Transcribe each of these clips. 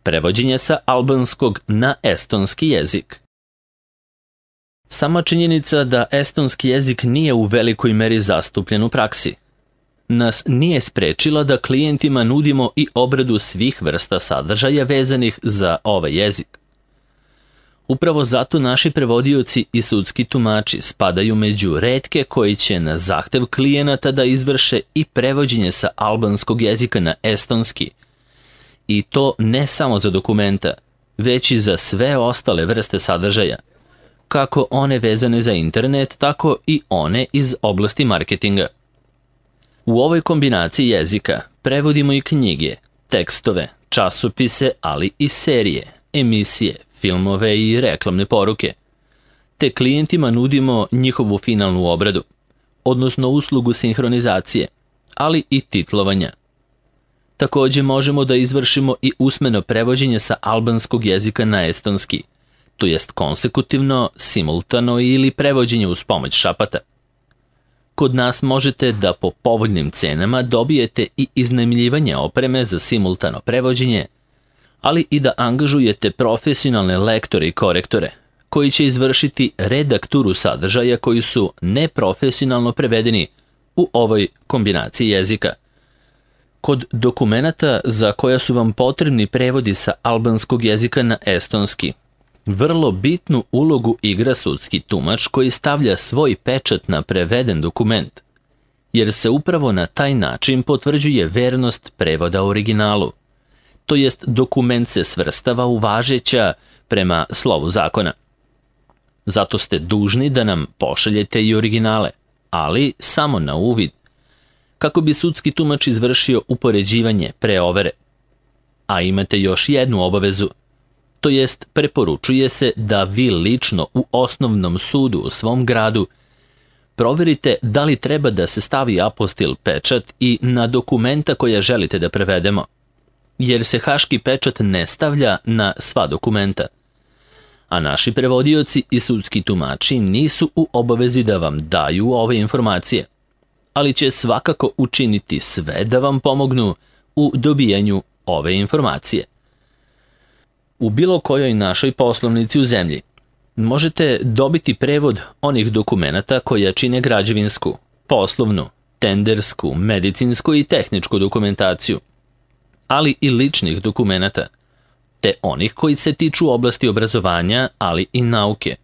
Prevođenje sa albanskog na estonski jezik. Sama činjenica da estonski jezik nije u velikoj meri zastupljen u praksi nas nije sprečila da klijentima nudimo i obradu svih vrsta sadržaja vezanih za ovaj jezik. Upravo zato naši prevodioci i sudski tumači spadaju među retke koji će na zahtev klijenata da izvrše i prevođenje sa albanskog jezika na estonski. I to ne samo za dokumenta, već i za sve ostale vrste sadržaja, kako one vezane za internet, tako i one iz oblasti marketinga. U ovoj kombinaciji jezika prevodimo i knjige, tekstove, časopise, ali i serije, emisije, filmove i reklamne poruke, te klijentima nudimo njihovu finalnu obradu, odnosno uslugu sinhronizacije, ali i titlovanja. Također možemo da izvršimo i usmeno prevođenje sa albanskog jezika na estonski, to jest konsekutivno, simultano ili prevođenje uz pomoć šapata. Kod nas možete da po povoljnim cenama dobijete i iznajmljivanje opreme za simultano prevođenje, ali i da angažujete profesionalne lektore i korektore, koji će izvršiti redakturu sadržaja koji su neprofesionalno prevedeni u ovoj kombinaciji jezika. Kod dokumenata za koja su vam potrebni prevodi sa albanskog jezika na estonski, vrlo bitnu ulogu igra sudski tumač koji stavlja svoj pečat na preveden dokument, jer se upravo na taj način potvrđuje vernost prevoda originalu, to jest dokument se svrstava u važeća prema slovu zakona. Zato ste dužni da nam pošaljete i originale, ali samo na uvid, kako bi sudski tumač izvršio upoređivanje pre overe. A imate još jednu obavezu, to jest preporučuje se da vi lično u osnovnom sudu u svom gradu proverite da li treba da se stavi apostil pečat i na dokumenta koja želite da prevedemo, jer se haški pečat ne stavlja na sva dokumenta. A naši prevodioci i sudski tumači nisu u obavezi da vam daju ove informacije, ali će svakako učiniti sve da vam pomognu u dobijanju ove informacije. U bilo kojoj našoj poslovnici u zemlji možete dobiti prevod onih dokumenata koja čine građevinsku, poslovnu, tendersku, medicinsku i tehničku dokumentaciju, ali i ličnih dokumenata, te onih koji se tiču oblasti obrazovanja, ali i nauke,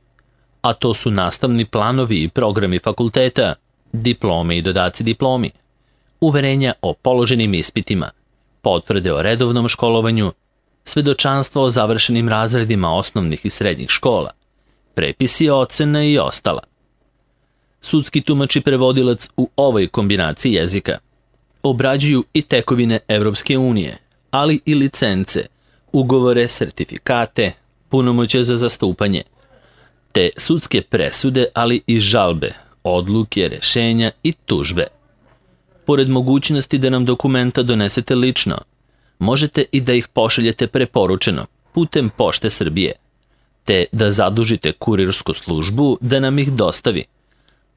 a to su nastavni planovi i programi fakulteta, diplome i dodaci diplomi, uverenja o položenim ispitima, potvrde o redovnom školovanju, svedočanstva o završenim razredima osnovnih i srednjih škola, prepisi ocena i ostala. Sudski tumač i prevodilac u ovoj kombinaciji jezika obrađuju i tekovine Evropske unije, ali i licence, ugovore, sertifikate, punomoćje za zastupanje, te sudske presude, ali i žalbe, odluke, rešenja i tužbe. Pored mogućnosti da nam dokumenta donesete lično, možete i da ih pošaljete preporučeno putem Pošte Srbije, te da zadužite kurirsku službu da nam ih dostavi,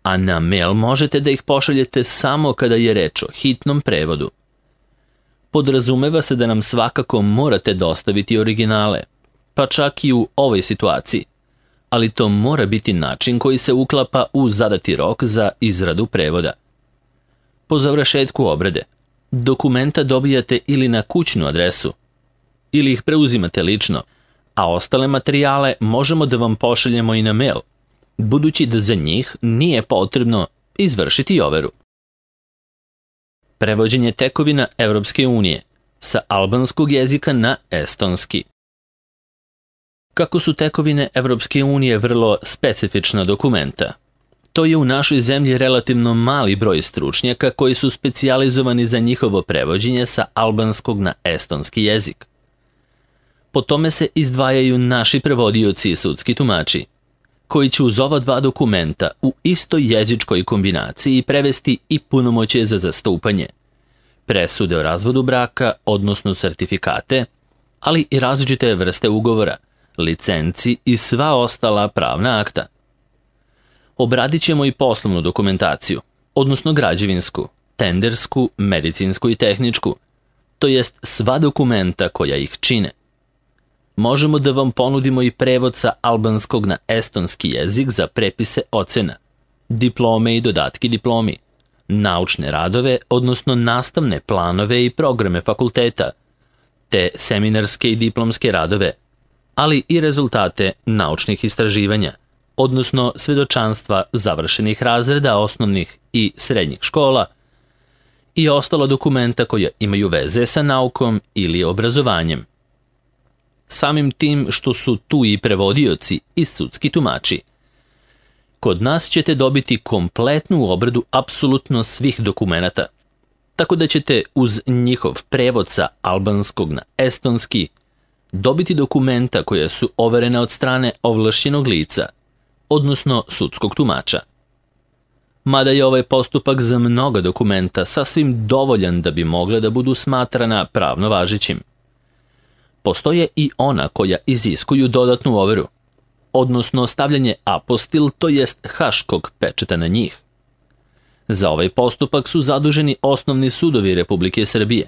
a na mail možete da ih pošaljete samo kada je reč o hitnom prevodu. Podrazumeva se da nam svakako morate dostaviti originale, pa čak i u ovoj situaciji, ali to mora biti način koji se uklapa u zadati rok za izradu prevoda. Po završetku obrade, dokumenta dobijate ili na kućnu adresu, ili ih preuzimate lično, a ostale materijale možemo da vam pošaljemo i na mail, budući da za njih nije potrebno izvršiti overu. Prevođenje tekovina Evropske unije sa albanskog jezika na estonski. Kako su tekovine Evropske unije vrlo specifična dokumenta, to je u našoj zemlji relativno mali broj stručnjaka koji su specijalizovani za njihovo prevođenje sa albanskog na estonski jezik. Po tome se izdvajaju naši prevodioci i sudski tumači, koji će uz ova dva dokumenta u istoj jezičkoj kombinaciji prevesti i punomoćje za zastupanje, presude o razvodu braka, odnosno sertifikate, ali i različite vrste ugovora, licenci i sva ostala pravna akta. Obradit ćemo i poslovnu dokumentaciju, odnosno građevinsku, tendersku, medicinsku i tehničku, to jest sva dokumenta koja ih čine. Možemo da vam ponudimo i prevod sa albanskog na estonski jezik za prepise ocena, diplome i dodatki diplomi, naučne radove, odnosno nastavne planove i programe fakulteta, te seminarske i diplomske radove, ali i rezultate naučnih istraživanja, odnosno svedočanstva završenih razreda osnovnih i srednjih škola i ostala dokumenta koja imaju veze sa naukom ili obrazovanjem. Samim tim što su tu i prevodioci i sudski tumači, kod nas ćete dobiti kompletnu obradu apsolutno svih dokumenata, tako da ćete uz njihov prevod sa albanskog na estonski dobiti dokumenta koja su overena od strane ovlašćenog lica, odnosno sudskog tumača. Mada je ovaj postupak za mnoga dokumenta sasvim dovoljan da bi mogla da budu smatrana pravno važećim. Postoje i ona koja iziskuju dodatnu overu, odnosno stavljanje apostil, to jest haškog pečata na njih. Za ovaj postupak su zaduženi osnovni sudovi Republike Srbije,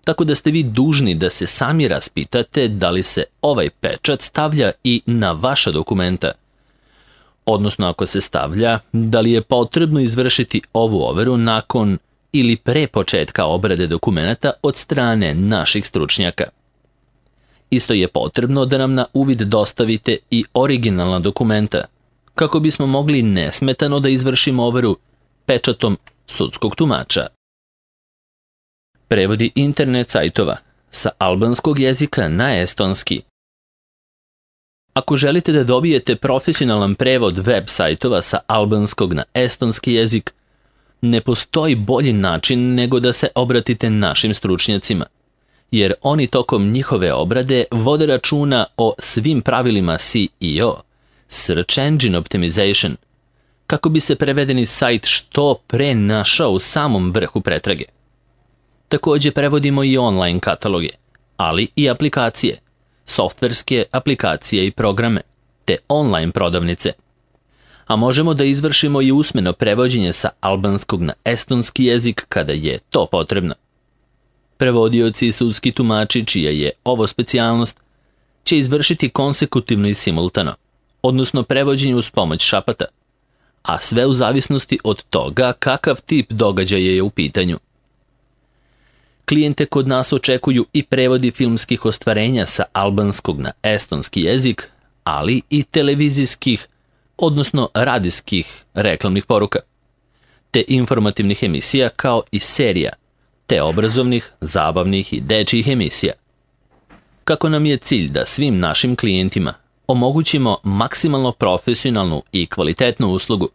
tako da ste vi dužni da se sami raspitate da li se ovaj pečat stavlja i na vaša dokumenta, odnosno ako se stavlja, da li je potrebno izvršiti ovu overu nakon ili pre početka obrade dokumenata od strane naših stručnjaka. Isto je potrebno da nam na uvid dostavite i originalna dokumenta, kako bismo mogli nesmetano da izvršimo overu pečatom sudskog tumača. Prevodi internet sajtova sa albanskog jezika na estonski. Ako želite da dobijete profesionalan prevod web sajtova sa albanskog na estonski jezik, ne postoji bolji način nego da se obratite našim stručnjacima, jer oni tokom njihove obrade vode računa o svim pravilima SEO, Search Engine Optimization, kako bi se prevedeni sajt što pre našao u samom vrhu pretrage. Također prevodimo i online kataloge, ali i aplikacije, softverske aplikacije i programe, te online prodavnice. A možemo da izvršimo i usmeno prevođenje sa albanskog na estonski jezik kada je to potrebno. Prevodioci i sudski tumači, čija je ovo specijalnost, će izvršiti konsekutivno i simultano, odnosno prevođenje uz pomoć šapata, a sve u zavisnosti od toga kakav tip događaja je u pitanju. Klijente kod nas očekuju i prevodi filmskih ostvarenja sa albanskog na estonski jezik, ali i televizijskih, odnosno radijskih reklamnih poruka, te informativnih emisija kao i serija, te obrazovnih, zabavnih i dečjih emisija. Kako nam je cilj da svim našim klijentima omogućimo maksimalno profesionalnu i kvalitetnu uslugu,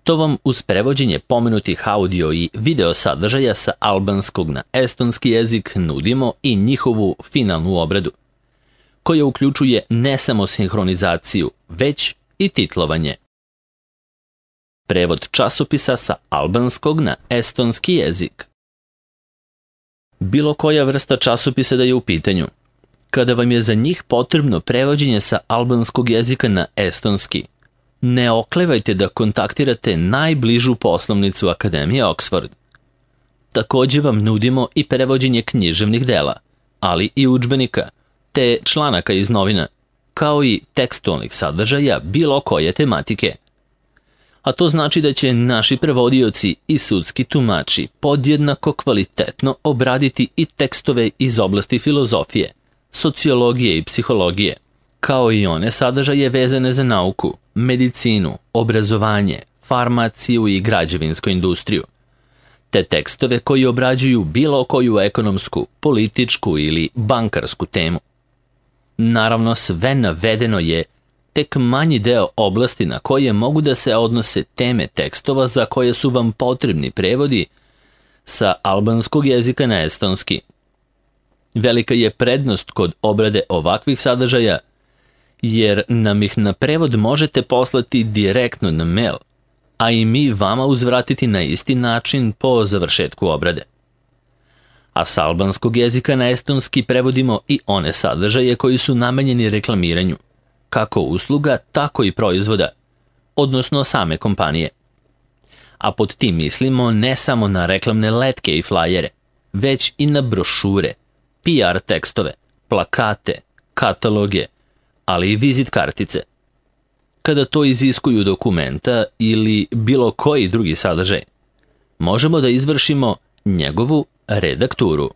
to vam uz prevođenje pomenutih audio i video sadržaja sa albanskog na estonski jezik nudimo i njihovu finalnu obradu, koja uključuje ne samo sinhronizaciju, već i titlovanje. Prevod časopisa sa albanskog na estonski jezik. Bilo koja vrsta časopisa da je u pitanju, kada vam je za njih potrebno prevođenje sa albanskog jezika na estonski, ne oklevajte da kontaktirate najbližu poslovnicu Akademije Oxford. Također vam nudimo i prevođenje književnih dela, ali i udžbenika, te članaka iz novina, kao i tekstualnih sadržaja bilo koje tematike. A to znači da će naši prevodioci i sudski tumači podjednako kvalitetno obraditi i tekstove iz oblasti filozofije, sociologije i psihologije, kao i one sadržaje vezane za nauku, medicinu, obrazovanje, farmaciju i građevinsku industriju, te tekstove koji obrađuju bilo koju ekonomsku, političku ili bankarsku temu. Naravno, sve navedeno je tek manji deo oblasti na koje mogu da se odnose teme tekstova za koje su vam potrebni prevodi sa albanskog jezika na estonski. Velika je prednost kod obrade ovakvih sadržaja, jer nam ih na prevod možete poslati direktno na mail, a i mi vama uzvratiti na isti način po završetku obrade. A s albanskog jezika na estonski prevodimo i one sadržaje koji su namenjeni reklamiranju, kako usluga, tako i proizvoda, odnosno same kompanije. A pod tim mislimo ne samo na reklamne letke i flajere, već i na brošure, PR tekstove, plakate, kataloge, ali i vizit kartice. Kada to iziskuju dokumenta ili bilo koji drugi sadržaj, možemo da izvršimo njegovu redakturu.